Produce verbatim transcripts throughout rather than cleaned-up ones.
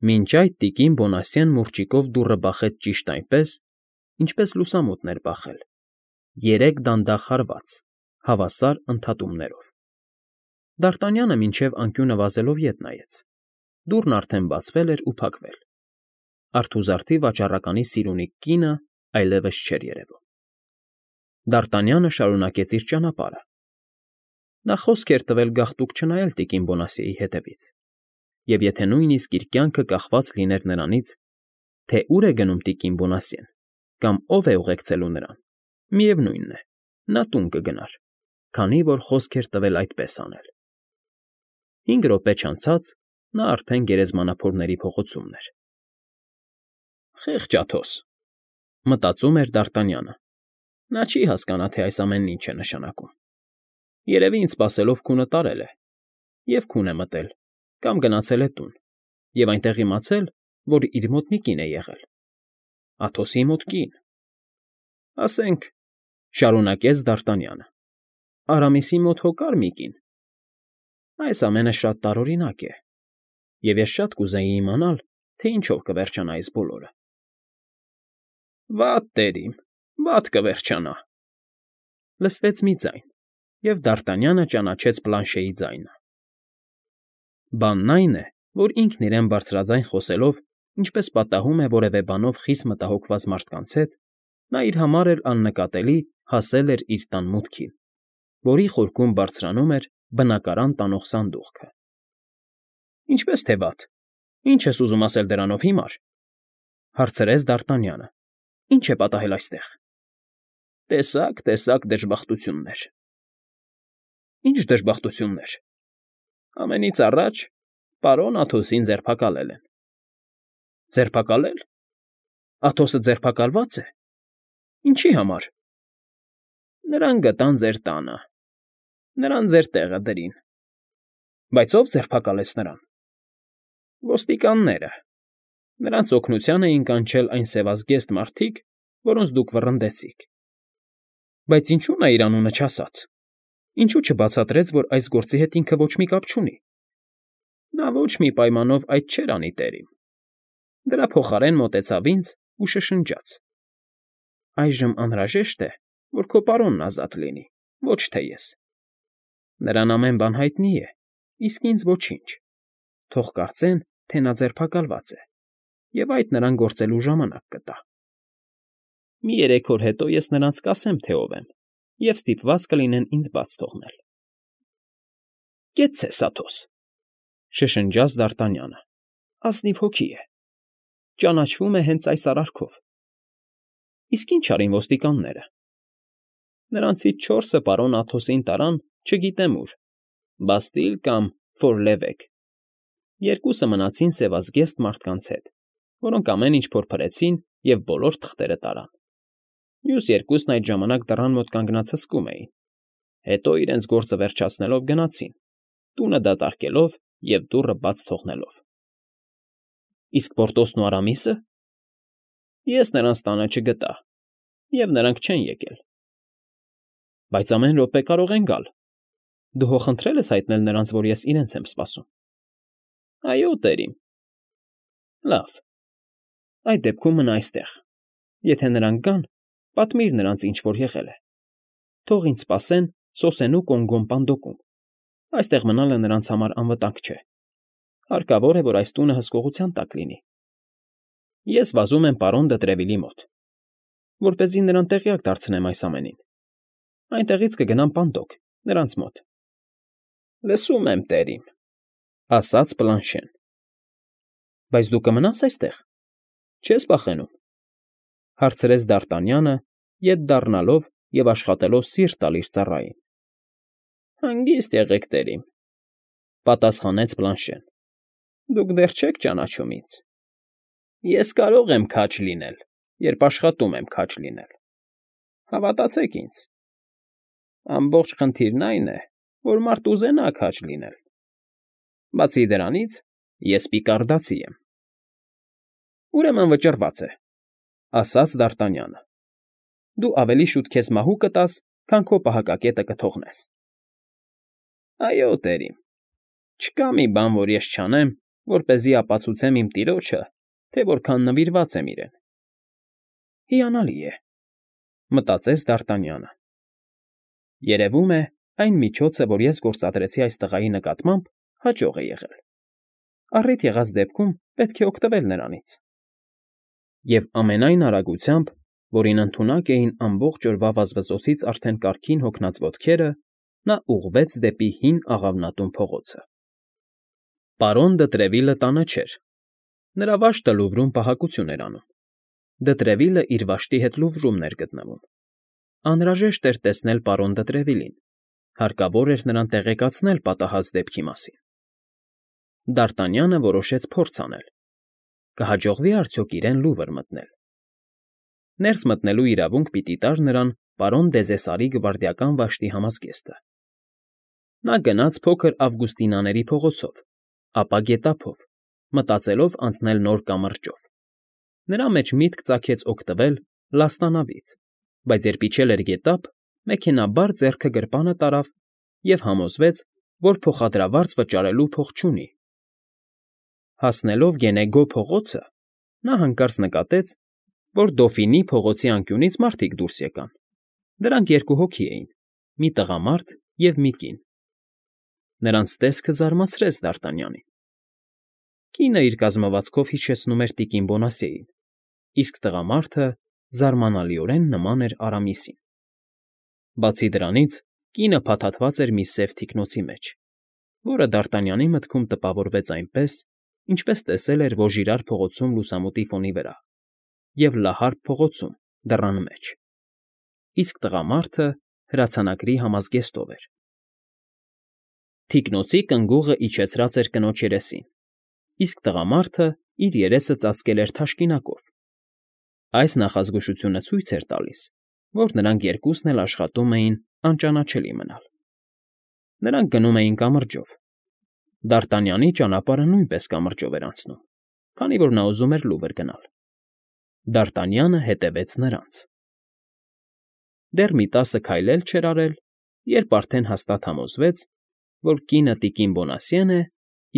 Մինչ այդ տիկին Բոնասյեն մուրճիկով դուռը բախեց ճիշտ այնպես, ինչպես լուսամուտն էր բախել, երեք դանդաղ հարված, հավասար ընդհատումներով։ Դարտանյանը մինչև անկյունը վազելով ետ նայեց. դուռն արդեն բացվել էր ու փակվել։ Արթուզարդի վաճառականի սիրունիկ կինը այլևս չէր երևում։ Դարտանյանը շարունակեց իր ճանապարհը։ Նա խոսք էր տվել գաղտուկ չնայել տիկին Բոնասիեի հետևից, և եթե նույնիսկ իր կյանքը կախված լիներ նրանից, թե ուր է գնում տիկին Բոնասիեն կամ ով է ուղեկցելու նրան, միևնույն է, նա տուն կգնար, քանի որ խոսք էր տվել այդպես անել։ Հինգ րոպե չանցած նա արդեն գերեզմանափորների փողոցումն էր։ «Խեղճ Աթոս,֊ մտածում էր Դարտանյանը,֊ նա չի հասկանա, թե այս ամենն ինչ է նշանակում։ Երևի ինձ սպասելով քունը տարել է, և քուն է մտել, կամ գնացել է տուն, և այնտեղ իմացել, որ իր մոտ մի կին է եղել։ Աթոսի մոտ կին… Ասենք,֊ շարունակեց Դարտանյանը,֊ Արամիսի մոտ հո կար մի կին… Այս ամենը շատ տարօրինակ է, և ես շատ կուզեի իմանալ, թե ինչով կվերջանա այս բոլորը»։ «Վատ, տերիմ, վատ կվերջանա…»… լսվեց մի ձայն, և Դարտանյանը ճանաչեց Պլանշեի ձայնը։ Բանն այն է, որ ինքն իրեն բարձրաձայն խոսելով, ինչպես պատահում է որևէ բանով խիստ մտահոգված մարդկանց հետ, նա իր համար էլ աննկատելի հասել էր իր տան մուտքին, որի խորքում բարձրանում էր բնակարան տանող սանդուղքը։ ֊ Ինչպե՞ս թե վատ, ի՞նչ ես ուզում ասել դրանով, հիմար,֊ հարցրեց Դարտանյանը։ Ի՞նչ է պատահել այստեղ։ ֊ Տեսակ, տեսակ դժբախտություններ… ֊ Ի՞նչ դժբախտություններ։ ֊ Ամենից առաջ պարոն Աթոսին ձերբակալել են։ ֊ Ձերբակալե՞լ։ Աթոսը ձերբակալվա՞ծ է։ Ինչի՞ համար։ ֊ Նրան գտան ձեր տանը… Նրան ձեր տեղը դրին։ ֊ Բայց ո՞վ ձերբակալեց նրան։ ֊ Ոստիկանները… Նրանց օգնության էին կանչել այն սևազգեստ մարդիկ, որոնց դուք վռնդեցիք։ ֊ Բայց ինչո՞ւ նա իր անունը չասաց։ Ինչո՞ւ չբացատրեց, որ այս գործի հետ ինքը ոչ մի կապ չունի։ ֊ Նա ոչ մի պայմանով այդ չէր անի, տերիմ… Դրա փոխարեն մոտեցավ ինձ ու շշնջաց. «Այժմ անհրաժեշտ է, որ քո պարոնն ազատ լինի, ոչ թե ես… Նրան ամեն բան հայտնի է, իսկ ինձ ոչինչ… Թող կարծեն, թե նա ձերբակալված է, և այդ նրան գործելու ժամանակ կտա… Մի երեք օր հետո ես նրանց կասեմ, թե ով եմ, և ստիպված կլինեն ինձ բաց թողնել»։ ֊ Կեցցես, Աթոս,֊ շշնջաց Դարտանյանը,֊ ազնիվ հոգի է… Ճանաչվում է հենց այս արարքով… Իսկ ի՞նչ արին ոստիկանները։ ֊ Նրանցից չորսը պարոն Աթոսին տարան չգիտեմ ուր, Բաստիլ կամ Ֆոր֊Լևեկ, երկուսը մնացին սևազգեստ մարդկանց հետ, որոնք ամեն ինչ փորփրեցին և բոլոր թղթերը տարան։ Մյուս երկուսն այդ ժամանակ դռան մոտ կանգնած հսկում էին, հետո իրենց գործը վերջացնելով գնացին, տունը դատարկելով և դուռը բաց թողնելով։ ֊ Իսկ Պորտոսն ու Արամիսը։ ֊ Ես նրանց տանը չգտա, և նրանք չեն եկել։ ֊ Բայց ամեն րոպե կարող են գալ… Դու հո խնդրել ես հայտնել նրանց, որ ես իրենց եմ սպասում։ ֊ Այո, տերիմ։ ֊ Լավ, այդ դեպքում մնա այստեղ… Եթե նրանք գան, պատմիր նրանց, ինչ որ եղել է… Թող ինձ սպասեն սոսենու Կոնգոն Պանդոկում… Այստեղ մնալը նրանց համար անվտանգ չէ… Հարկավոր է, որ այս տունը հսկողության տակ լինի… Ես վազում եմ պարոն դը Տրևիլի մոտ, որպեսզի նրան տեղյակ դարձնեմ այս ամենին… Այնտեղից կգնամ Պանդոկ, նրանց մոտ։ ֊ Լսում եմ, տերիմ,֊ ասաց Պլանշեն։ ֊ Բայց դու կմնա՞ս այստեղ, չե՞ս վախենում,֊ հարցրեց Դարտանյանը, ետ դառնալով և աշխատելով սիրտ տալ իր ծառային։ ֊ Հանգիստ եղեք, տերիմ,֊ պատասխանեց Պլանշեն։ ֊ Դուք դեռ չեք ճանաչում ինձ… Ես կարող եմ քաջ լինել, երբ աշխատում եմ քաջ լինել… Հավատացեք ինձ… Ամբողջ խնդիրն այն է, որ մարդ ուզենա քաջ լինել… Բացի դրանից, ես պիկարդացի եմ… ֊ Ուրեմն վճռված է,֊ ասաց Դարտանյանը։ ֊ Դու ավելի շուտ քեզ մահու կտաս, քան քո պահակակետը կթողնես։ ֊ Այո, տերիմ, չկա մի բան, որ ես չանեմ, որպեսզի ապացուցեմ իմ տիրոջը, թե որքան նվիրված եմ իրեն։ Հիանալի է, մտածեց Դ'Արտանյանը։ Երևում է, այն միջոցը, որ ես գործադրեցի այս տղայի նկատմամբ, հաջող է եղել։ Առիթ եղած դեպքում պետք է օգտվել նրանից։ Եվ ամենայն արագությամբ, որին ընդունակ էին ամբողջ օրվա վազվզոցից արդեն կարգին հոգնած ոտքերը, նա ուղղվեց դեպի հին աղավնատուն փողոցը։ Պարոն Դը տանը չէր։ Նրա վաշտը Լուվրում պահակություն էր անում։ Դը իր վաշտի հետ Լուվրումն էր գտնվում։ Անհրաժեշտ էր տեսնել պարոն Դը հարկավոր էր նրան տեղեկացնել պատահած դեպքի մասին։ Դ'Արտանյանը որոշեց փորձ անել։ Կհաջողվի՞ արդյոք իրեն Լուվր մտնել։ Ներս մտնելու իրավունք պիտի տար նրան պարոն Դեզեսարի գվարդիական վաշտի համազգեստը։ Նա գնաց փոքր Ավգուստինաների փողոցով, ապա գետափով, մտածելով անցնել նոր կամրջով։ Նրա մեջ միտք ծագեց օգտվել լաստանավից, բայց երբ իջել էր գետափ, մեքենաբար ձեռքը գրպանը տարավ և համոզվեց, որ փոխադրավարձ վճարելու փող չունի։ Հասնելով Գենեգո փողոցը, նա հանկարծ նկատեց, որ Դոֆինի փողոցի անկյունից մարդիկ դուրս եկան։ Դրանք երկու հոգի էին՝ մի տղամարդ և մի կին։ Նրանց տեսքը զարմացրեց Դ'Արտանյանին։ Կինը իր կազմվածքով հիշեցնում էր տիկին Բոնասյեին, իսկ տղամարդը զարմանալիորեն նման էր Արամիսին։ Բացի դրանից, կինը փաթաթված էր մի սև թիկնոցի մեջ, որը Դ'Արտանյանի մտքում տպավորվեց այնպես, ինչպես տեսել էր Վոժիրար փողոցում լուսամուտի ֆոնի վրա և Լահարկ փողոցում դռան մեջ, իսկ տղամարդը հրացանակրի համազգեստով էր։ Թիկնոցի կնգուղը իջեցրած էր կնոջ երեսին, իսկ տղամարդը իր երեսը ծածկել էր թաշկինակով։ Այս նախազգուշությունը ցույց էր տալիս, որ նրանք երկուսն էլ աշխատում էին անճանաչելի մնալ։ Նրանք գնում էին կամրջով։ Դ'Արտանյանի ճանապարհը նույնպես կամրջով էր անցնում, քանի որ նա ուզում էր Լուվր գնալ։ Դ'Արտանյանը հետևեց նրանց։ Դեռ մի տասը քայլ էլ չէր արել, երբ արդեն հաստատ համոզվեց, որ կինը տիկին Բոնասյեն է,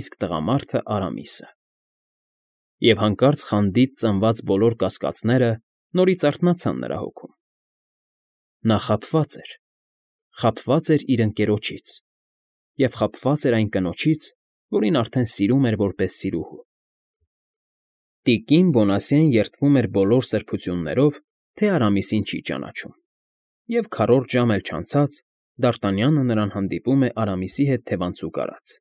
իսկ տղամարդը Արամիսը։ Եվ հանկարծ խանդից ծնված բոլոր կասկածները նորից արթնացան նրա հոգում։ Նա խաբված էր, խաբված էր իր ընկերոջից և խաբված էր այն կնոջից, որին արդեն սիրում էր որպես սիրուհու։ Տիկին Բոնասյեն երդվում էր բոլոր սրբություններով, թե Արամիսին չի ճանաչում, և քառորդ ժամ էլ չանցած Դ'Արտանյանը նրան հանդիպում է Արամիսի հետ թևանցուկ արած։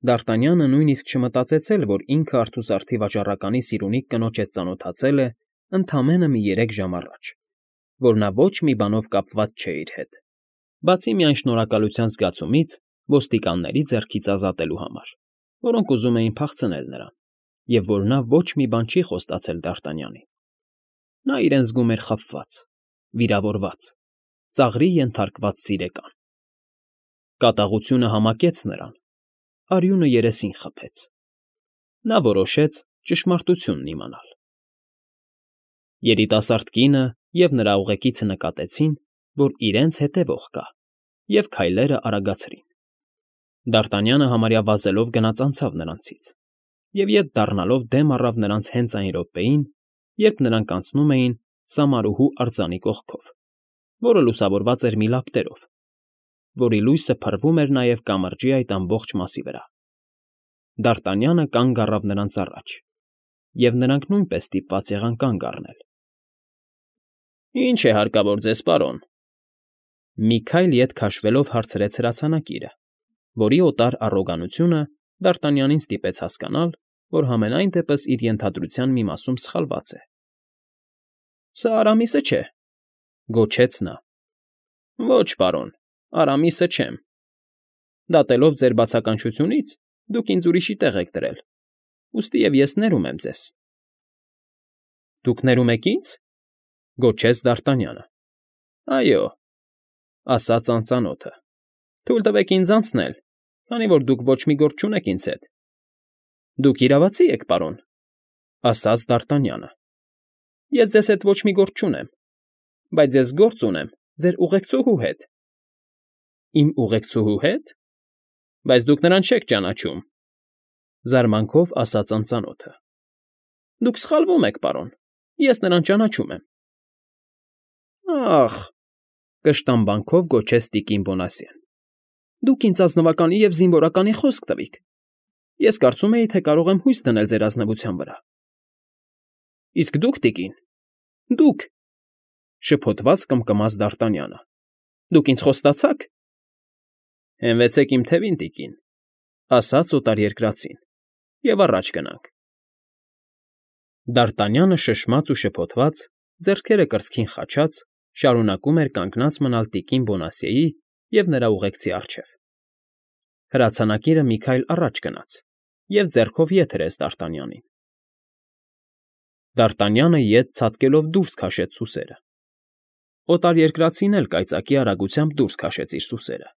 Դ'Արտանյանը նույնիսկ չմտածեց էլ, որ ինքը արթուսարդի վաճառականի սիրունիկ կնոջ հետ ծանոթացել է ընդամենը մի երեք ժամ առաջ, որ նա ոչ մի բանով կապված չէ իր հետ, բացի միայն շնորհակալության զգացումից ոստիկանների ձեռքից ազատելու համար, որոնք ուզում էին փախցնել նրան, և որ նա ոչ մի բան չի խոստացել Դ'Արտանյանին։ Նա իրեն զգում էր խաբված, վիրավորված, ծաղրի ենթարկված սիրեկան։ Կատաղությունը համակեց նրան, արյունը երեսին խփեց։ Նա որոշեց ճշմարտությունն իմանալ։ Երիտասարդ կինը և նրա ուղեկիցը նկատեցին, որ իրենց հետևող կա, և քայլերը արագացրին։ Դ'Արտանյանը համարյա վազելով գնաց անցավ նրանցից և ետ դառնալով դեմ առավ նրանց հենց այն րոպեին, երբ նրանք անցնում էին Սամարուհու արձանի կողքով, որը լուսավորված էր մի լապտերով, որի լույսը փռվում էր նաև կամրջի այդ ամբողջ մասի վրա։ Դ'Արտանյանը կանգ առավ նրանց առաջ, և նրանք նույնպես ստիպված եղան կանգ առնել։ ֊ Ի՞նչ է հարկավոր ձեզ, պարոն,֊ մի քայլ ետ քաշվելով հարցրեց հրացանակիրը, որի օտար առոգանությունը Դ'Արտանյանին ստիպեց հասկանալ, որ համենայն դեպս իր ենթադրության մի մասում սխալված է։ ֊ Սա Արամիսը չէ,֊ գոչեց նա։ ֊ Ոչ, պարոն, Արամիսը չեմ։ Դատելով ձեր բացականչությունից՝ դուք ինձ ուրիշի տեղ եք դրել, ուստիև ես ներում եմ ձեզ։ ֊ Դուք ներում եք ինձ,֊ գոչեց Դ'Արտանյանը։ ֊ Այո,֊ ասաց անծանոթը,֊ թույլ տվեք ինձ անցնել, քանի որ դուք ոչ մի գործ չունեք ինձ հետ։ ֊ Դուք իրավացի՞ եք, պարոն,֊ ասաց Դ'Արտանյանը։ ֊ Ես ձեզ հետ ոչ մի գործ չունեմ, բայց ես գործ ունեմ ձեր ուղեկցուհու հետ։ ֊ Իմ ուղեկցուհու հետ։ Բայց դուք նրան չեք ճանաչում։ Զարմանքով ասաց անծանոթը։ ֊ Դուք սխալվում եք, պարոն, ես նրան ճանաչում եմ։ ֊ Ա՜խ,֊ կշտամբանքով գոչեց տիկին Բոնասյեն,֊ դուք ինձ ազնվականի և զինվորականի խոսք տվիք. ես կարծում էի, թե կարող եմ հույս դնել ձեր ազնվության վրա։ ֊ Իսկ դուք, տիկին, դուք,֊ շփոթված կմկմաց Դ'Արտանյանը,֊ դուք ինձ խոստացա՞ք։ ֊ Հենվեցեք իմ թևին, տիկին,֊ ասաց օտարերկրացին,֊ և առաջ գնանք։ Դ'Արտանյանը շշմած ու շփոթված, ձեռքերը կրծքին խաչած, շարունակում էր կանգնած մնալ տիկին Բոնասյեի և նրա ուղեկցի առջև։ Հրացանակիրը մի քայլ առաջ գնաց և ձեռքով ետ հրեց Դ'Արտանյանին։ Դ'Արտանյանը ետ ցատկելով դուրս քաշեց սուսերը։ Օտարերկրացին էլ կայծակի արագությամբ դուրս քաշեց իր սուսերը։ ֊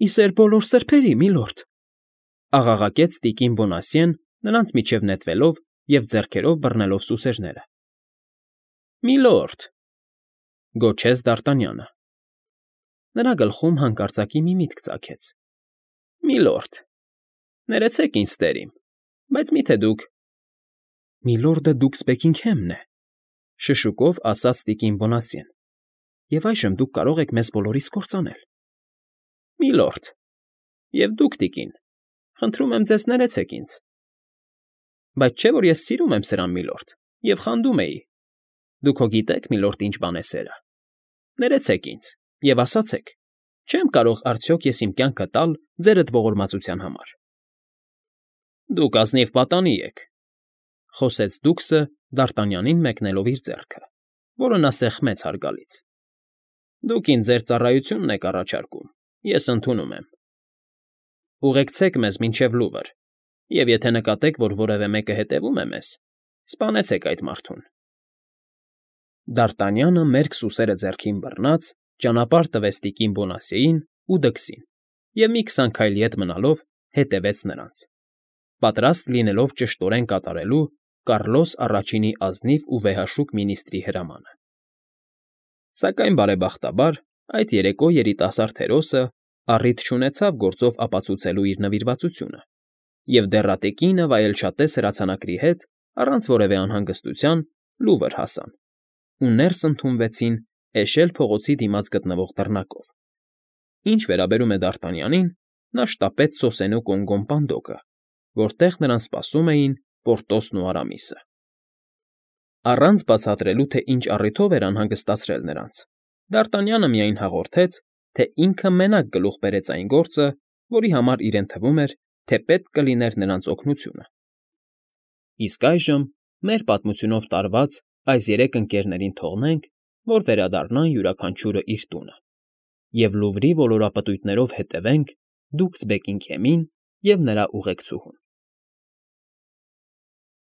Ի սեր բոլոր սրբերի, միլորդ,֊ աղաղակեց տիկին Բոնասյեն, նրանց միջև նետվելով և ձեռքերով բռնելով սուսերները։ ֊ Միլորդ,֊ գոչեց Դ'Արտանյանը։ Նրա գլխում հանկարծակի մի միտք ծագեց։ ֊ Միլորդ, ներեցեք ինձ, տեր իմ, բայց մի՞թե դուք… ֊ Միլորդը դուքս Բեքինգհեմն է,֊ շշուկով ասաց տիկին Բոնասյեն,֊ և այժմ դուք կարող եք մեզ բոլորիս կործանել։ ֊ Միլորդ, և դուք, տիկին, խնդրում եմ ձեզ, ներեցեք ինձ։ ֊ Բայց չէ՞ որ ես սիրում եմ սրան, միլորդ, և խանդում էի։ Դուք հո գիտեք, միլորդ, ինչ բան է սերը… Ներեցեք ինձ և ասացեք, չե՞մ կարող արդյոք ես իմ կյանքը տալ ձերդ ողորմածության համար։ ֊ Դուք ազնիվ պատանի եք,֊ խոսեց դուքսը Դ'Արտանյանին մեկնելով իր ձեռքը, որը նա սեղմեց հարգալից,֊ դուք ինձ ձեր ծառայությունն եք առաջարկում, ես ընդունում եմ։ Ուղեկցեք մեզ մինչև Լուվր, և եթե նկատեք, որ որևէ մեկը հետևում է մեզ, սպանեցեք այդ մարդուն։ Դ'Արտանյանը մերկ սուսերը ձեռքին բռնած ճանապարհ տվեց տիկին Բոնասյեին ու դքսին և մի քսան քայլ ետ մնալով հետևեց նրանց, պատրաստ լինելով ճշտորեն կատարելու Կառլոս Առաջինի ազնիվ ու վեհաշուկ մինիստրի հրամանը։ Սակայն, բարեբախտաբար, այդ երեկո երիտասարդ հերոսը առիթ չունեցավ գործով ապացուցելու իր նվիրվածությունը և դեռատեկինը վայելչատես հրացանակրի հետ առանց որևէ անհանգստության Լուվր հասան ու ներս ընդունվեցին Էշել փողոցի դիմաց գտնվող դռնակով։ Ինչ վերաբերում է Դ'Արտանյանին, նա շտապեց սոսենու կոնգոն պանդոկը, որտեղ նրան սպասում էին Պորտոսն ու Արամիսը։ Առանց բացատրելու, թե ինչ առիթով էր անհանգստացրել նրանց, Դ'Արտանյանը միայն հաղորդեց, թե ինքը մենակ գլուխ բերեց այն գործը, որի համար իրեն թվում էր, թե պետք կլիներ նրանց օգնությունը։ Իսկ այժմ մեր պատմությունով տարված այս երեք ընկերներին թողնենք, որ վերադառնան յուրաքանչյուրը իր տունը, և Լուվրի ոլորապտույտներով հետևենք դուքս Բեքինգհեմին և նրա ուղեկցուհուն։